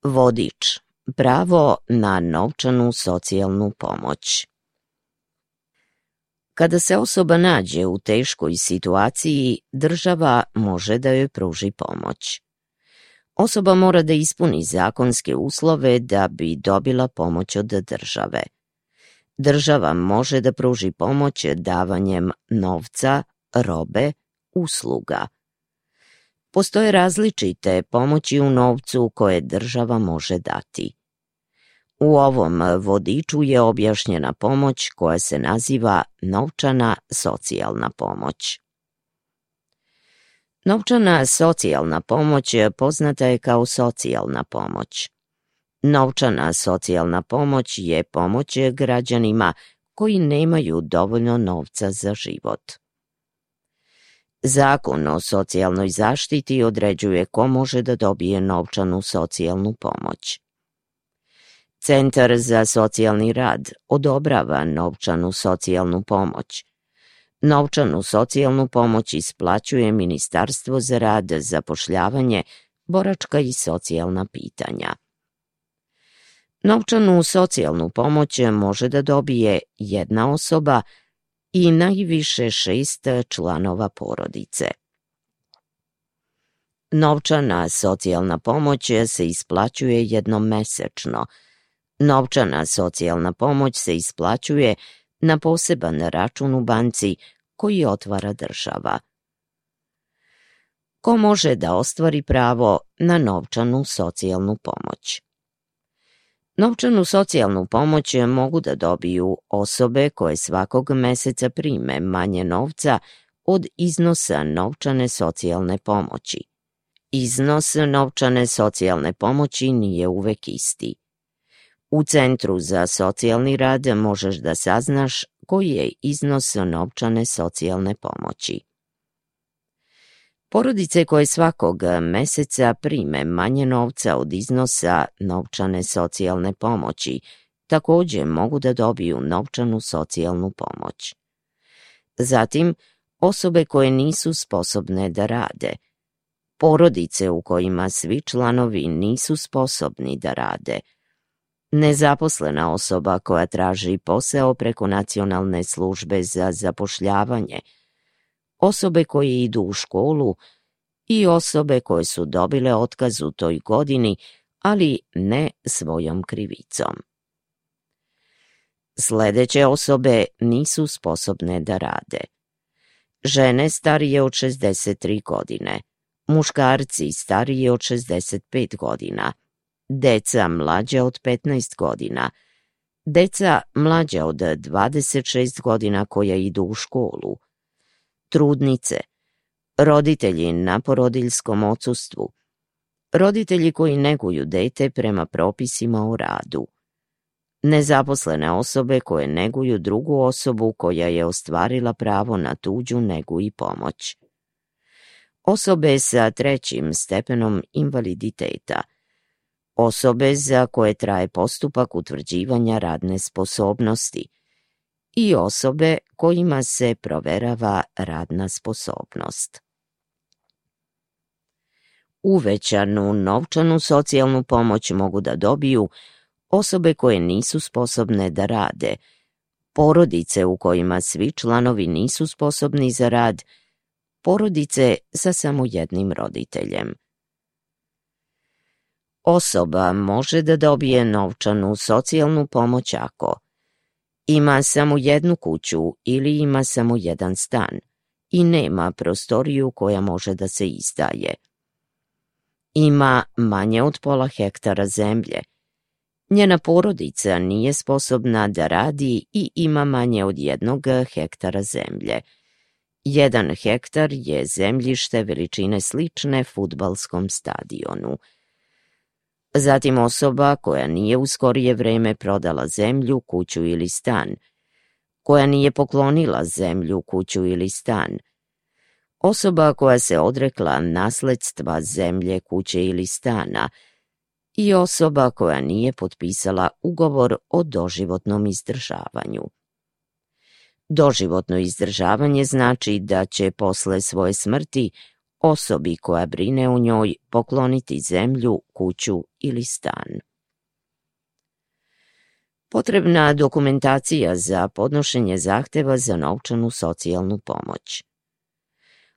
Vodič. Pravo na novčanu socijalnu pomoć. Kada se osoba nađe u teškoj situaciji, država može da joj pruži pomoć. Osoba mora da ispuni zakonske uslove da bi dobila pomoć od države. Država može da pruži pomoć davanjem novca, robe, usluga. Postoje različite pomoći u novcu koje država može dati. U ovom vodiču je objašnjena pomoć koja se naziva novčana socijalna pomoć. Novčana socijalna pomoć poznata je kao socijalna pomoć. Novčana socijalna pomoć je pomoć građanima koji nemaju dovoljno novca za život. Zakon o socijalnoj zaštiti određuje ko može da dobije novčanu socijalnu pomoć. Centar za socijalni rad odobrava novčanu socijalnu pomoć. Novčanu socijalnu pomoć isplaćuje Ministarstvo za rad, zapošljavanje, boračka i socijalna pitanja. Novčanu socijalnu pomoć može da dobije jedna osoba i najviše 6 članova porodice. Novčana socijalna pomoć se isplaćuje jednom mesečno. Novčana socijalna pomoć se isplaćuje na poseban račun u banci koji otvara država. Ko može da ostvari pravo na novčanu socijalnu pomoć? Novčanu socijalnu pomoć mogu da dobiju osobe koje svakog meseca prime manje novca od iznosa novčane socijalne pomoći. Iznos novčane socijalne pomoći nije uvek isti. U Centru za socijalni rad možeš da saznaš koji je iznos novčane socijalne pomoći. Porodice koje svakog meseca prime manje novca od iznosa novčane socijalne pomoći takođe mogu da dobiju novčanu socijalnu pomoć. Zatim, osobe koje nisu sposobne da rade. Porodice u kojima svi članovi nisu sposobni da rade. Nezaposlena osoba koja traži posao preko Nacionalne službe za zapošljavanje, osobe koje idu u školu i osobe koje su dobile otkaz u toj godini, ali ne svojom krivicom. Sledeće osobe nisu sposobne da rade. Žene starije od 63 godine, muškarci stariji od 65 godina, deca mlađa od 15 godina, deca mlađa od 26 godina koja idu u školu, trudnice, roditelji na porodiljskom odsustvu, roditelji koji neguju dete prema propisima o radu, nezaposlene osobe koje neguju drugu osobu koja je ostvarila pravo na tuđu negu i pomoć, osobe sa 3. stepenom invaliditeta, osobe za koje traje postupak utvrđivanja radne sposobnosti i osobe kojima se proverava radna sposobnost. Uvećanu novčanu socijalnu pomoć mogu da dobiju osobe koje nisu sposobne da rade, porodice u kojima svi članovi nisu sposobni za rad, porodice sa samo jednim roditeljem. Osoba može da dobije novčanu socijalnu pomoć ako ima samo jednu kuću ili ima samo jedan stan i nema prostoriju koja može da se izdaje. Ima manje od pola hektara zemlje. Njena porodica nije sposobna da radi i ima manje od 1 hektara zemlje. 1 hektar je zemljište veličine slične fudbalskom stadionu. Zatim osoba koja nije u skorije vreme prodala zemlju, kuću ili stan, koja nije poklonila zemlju, kuću ili stan, osoba koja se odrekla nasledstva zemlje, kuće ili stana i osoba koja nije potpisala ugovor o doživotnom izdržavanju. Doživotno izdržavanje znači da će posle svoje smrti osobi koja brine o njoj pokloniti zemlju, kuću ili stan. Potrebna dokumentacija za podnošenje zahteva za novčanu socijalnu pomoć.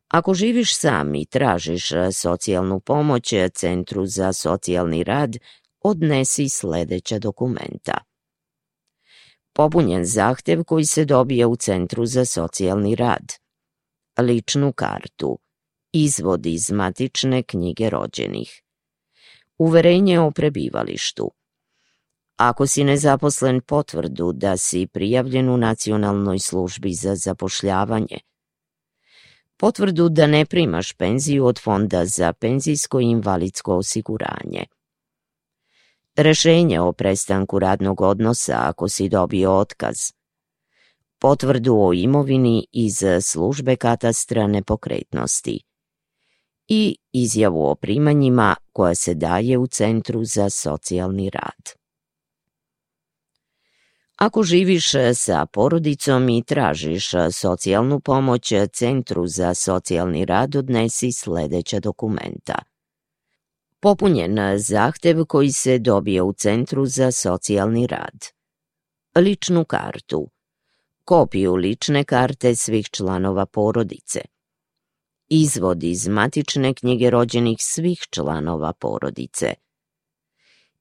Ako živiš sam i tražiš socijalnu pomoć Centru za socijalni rad, odnesi sljedeća dokumenta. Popunjen zahtev koji se dobije u Centru za socijalni rad, ličnu kartu, izvod iz matične knjige rođenih, uverenje o prebivalištu. Ako si nezaposlen, potvrdu da si prijavljen u Nacionalnoj službi za zapošljavanje, potvrdu da ne primaš penziju od Fonda za penzijsko i invalidsko osiguranje, rešenje o prestanku radnog odnosa ako si dobio otkaz, potvrdu o imovini iz službe katastra nepokretnosti i izjavu o primanjima koja se daje u Centru za socijalni rad. Ako živiš sa porodicom i tražiš socijalnu pomoć Centru za socijalni rad, odnesi sljedeća dokumenta. Popunjen zahtev koji se dobije u Centru za socijalni rad, ličnu kartu, kopiju lične karte svih članova porodice, izvod iz matične knjige rođenih svih članova porodice,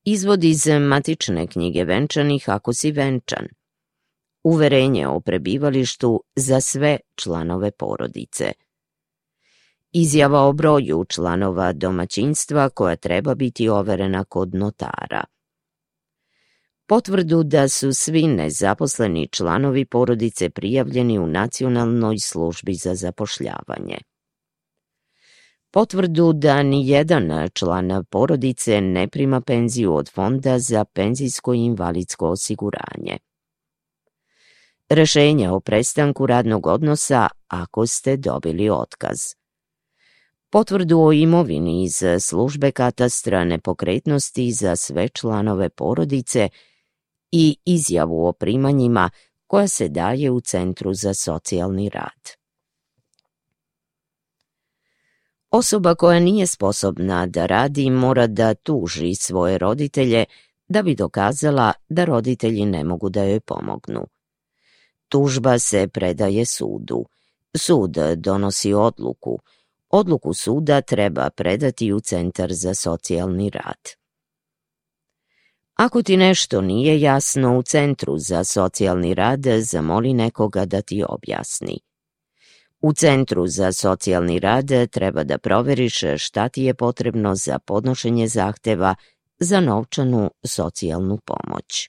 izvod iz matične knjige venčanih ako si venčan, uverenje o prebivalištu za sve članove porodice, izjava o broju članova domaćinstva koja treba biti overena kod notara, potvrdu da su svi nezaposleni članovi porodice prijavljeni u Nacionalnoj službi za zapošljavanje, potvrdu da ni jedan član porodice ne prima penziju od Fonda za penzijsko i invalidsko osiguranje, rešenje o prestanku radnog odnosa ako ste dobili otkaz, potvrdu o imovini iz službe katastra nepokretnosti za sve članove porodice i izjavu o primanjima koja se daje u Centru za socijalni rad. Osoba koja nije sposobna da radi mora da tuži svoje roditelje da bi dokazala da roditelji ne mogu da joj pomognu. Tužba se predaje sudu. Sud donosi odluku. Odluku suda treba predati u Centar za socijalni rad. Ako ti nešto nije jasno u Centru za socijalni rad, zamoli nekoga da ti objasni. U Centru za socijalni rad treba da proveriš šta ti je potrebno za podnošenje zahteva za novčanu socijalnu pomoć.